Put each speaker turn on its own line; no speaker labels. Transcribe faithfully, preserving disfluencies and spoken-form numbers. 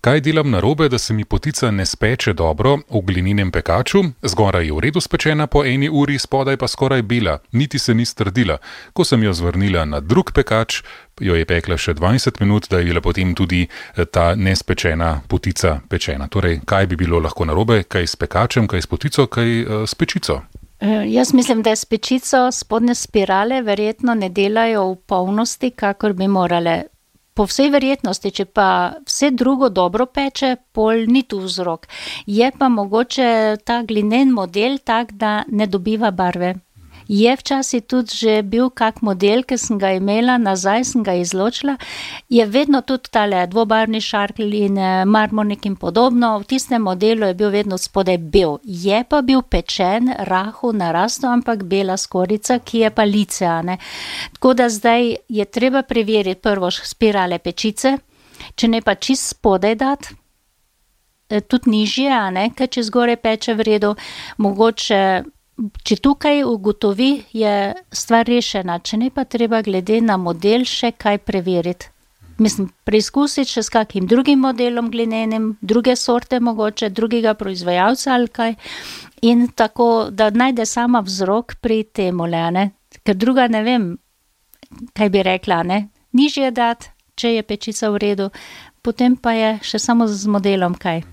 Kaj delam narobe, da se mi potica ne speče dobro v glininem pekaču? Zgoraj je v redu spečena po eni uri, spodaj pa skoraj bela, niti se ni strdila. Ko sem jo zvrnila na drug pekač, jo je pekla še dvajset minut, da je bila potem tudi ta nespečena potica pečena. Torej, kaj bi bilo lahko narobe? Kaj s pekačem, kaj s potico, kaj uh, s pečico?
Jaz mislim, da s pečico spodnje spirale verjetno ne delajo v polnosti, kakor bi morale. Po vsej verjetnosti, če pa vse drugo dobro peče, pol ni tu vzrok. Je pa mogoče ta glinen model tak, da ne dobiva barve. Je včasih tudi že bil kak model, ki sem ga imela, nazaj sem ga izločila, je vedno tudi tale dvobarvni šarkelj in marmornik in podobno, v tistem modelu je bil vedno spodaj bel. Je pa bil pečen, rahu, narasto, ampak bela skorica, ki je pa lice, a ne. Tako da zdaj je treba preveriti prvo spirale pečice, če ne pa čist spodaj dati, tudi nižje, a ne, ker če zgore peče v redu, mogoče. Če tukaj ugotovi, je stvar rešena, če ne pa treba glede na model še kaj preveriti. Mislim, preizkusiti še s kakim drugim modelom glinenim, druge sorte mogoče, drugega proizvajalca ali kaj. In tako, da najde sama vzrok pri temule, ne. Ker druga ne vem, kaj bi rekla, ne. Nižje dati, če je pečica v redu, potem pa je še samo z modelom kaj.